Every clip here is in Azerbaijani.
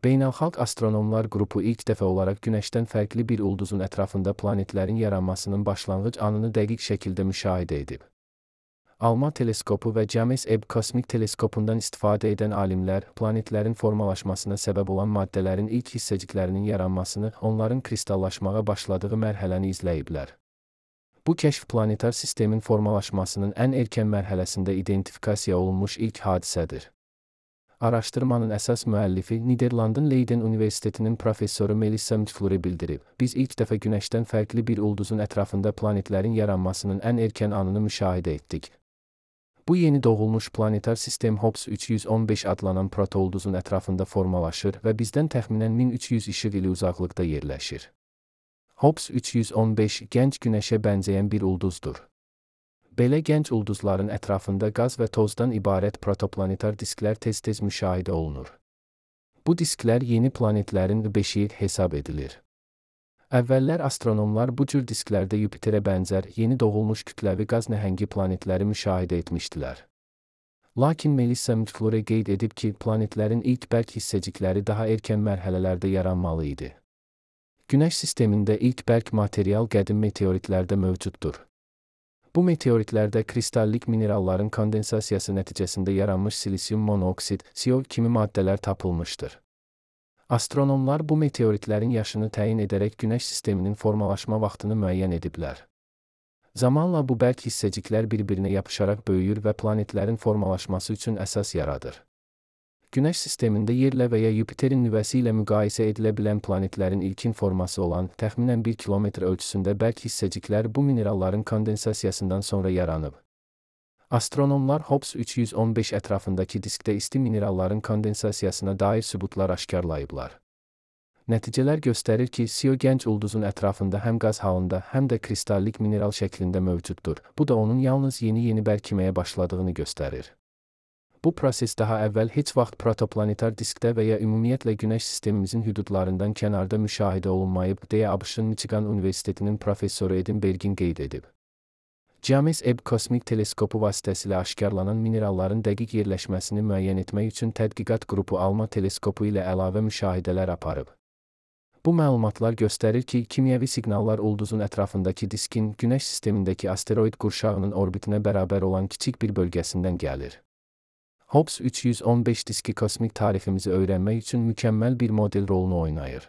Beynəlxalq Astronomlar Qrupu ilk dəfə olaraq Günəşdən fərqli bir ulduzun ətrafında planetlərin yaranmasının başlanğıc anını dəqiq şəkildə müşahidə edib. ALMA teleskopu və James Webb kosmik teleskopundan istifadə edən alimlər, planetlərin formalaşmasına səbəb olan maddələrin ilk hissəciklərinin yaranmasını, onların kristallaşmağa başladığı mərhələni izləyiblər. Bu kəşf planetar sistemin formalaşmasının ən erkən mərhələsində identifikasiya olunmuş ilk hadisədir. Araşdırmanın əsas müəllifi Niderlandın Leiden Universitetinin professoru Melissa Mutflure bildirib, biz ilk dəfə Günəşdən fərqli bir ulduzun ətrafında planetlərin yaranmasının ən erkən anını müşahidə etdik. Bu yeni doğulmuş planetar sistem Hobbs 315 adlanan protoulduzun ətrafında formalaşır və bizdən təxminən 1300 işıq ili uzaqlıqda yerləşir. Hobbs 315 gənc Günəşə bənzəyən bir ulduzdur. Belə gənc ulduzların ətrafında qaz və tozdan ibarət protoplanetar disklər tez-tez müşahidə olunur. Bu disklər yeni planetlərin beşiyi hesab edilir. Əvvəllər astronomlar bu cür disklərdə Yupiterə bənzər yeni doğulmuş kütləvi qaz nəhəngi planetləri müşahidə etmişdilər. Lakin Melissa Mutflure qeyd edib ki, planetlərin ilk bərk hissəcikləri daha erkən mərhələlərdə yaranmalı idi. Günəş sistemində ilk bərk material qədim meteoritlərdə mövcuddur. Bu meteoritlərdə kristallik mineralların kondensasiyası nəticəsində yaranmış silisium monoksid, CO kimi maddələr tapılmışdır. Astronomlar bu meteoritlərin yaşını təyin edərək Günəş sisteminin formalaşma vaxtını müəyyən ediblər. Zamanla bu bərk hissəciklər bir-birinə yapışaraq böyüyür və planetlərin formalaşması üçün əsas yaradır. Günəş sistemində Yerlə və ya Yupiterin nüvəsi ilə müqayisə edilə bilən planetlərin ilkin forması olan, təxminən 1 kilometr ölçüsündə bərk hissəciklər bu mineralların kondensasiyasından sonra yaranıb. Astronomlar Hobbs 315 ətrafındakı diskdə isti mineralların kondensasiyasına dair sübutlar aşkarlayıblar. Nəticələr göstərir ki, CO gənc ulduzun ətrafında həm qaz halında, həm də kristallik mineral şəklində mövcuddur. Bu da onun yalnız yeni bərkiməyə başladığını göstərir. Bu proses daha əvvəl heç vaxt protoplanetar diskdə və ya ümumiyyətlə Günəş sistemimizin hüdudlarından kənarda müşahidə olunmayıb, deyə ABŞ-ın Michigan Universitetinin professoru Edinbergin qeyd edib. James Webb kosmik teleskopu vasitəsilə aşkarlanan mineralların dəqiq yerləşməsini müəyyən etmək üçün tədqiqat qrupu ALMA teleskopu ilə əlavə müşahidələr aparıb. Bu məlumatlar göstərir ki, kimyəvi siqnallar ulduzun ətrafındakı diskin Günəş sistemindəki asteroid qurşağının orbitinə bərabər olan kiçik bir bölgəsindən gəlir. Hobbs 315 diski kosmik tariximizi öyrənmək üçün mükəmməl bir model rolunu oynayır.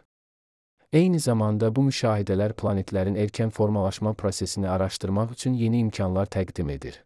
Eyni zamanda bu müşahidələr planetlərin erkən formalaşma prosesini araşdırmaq üçün yeni imkanlar təqdim edir.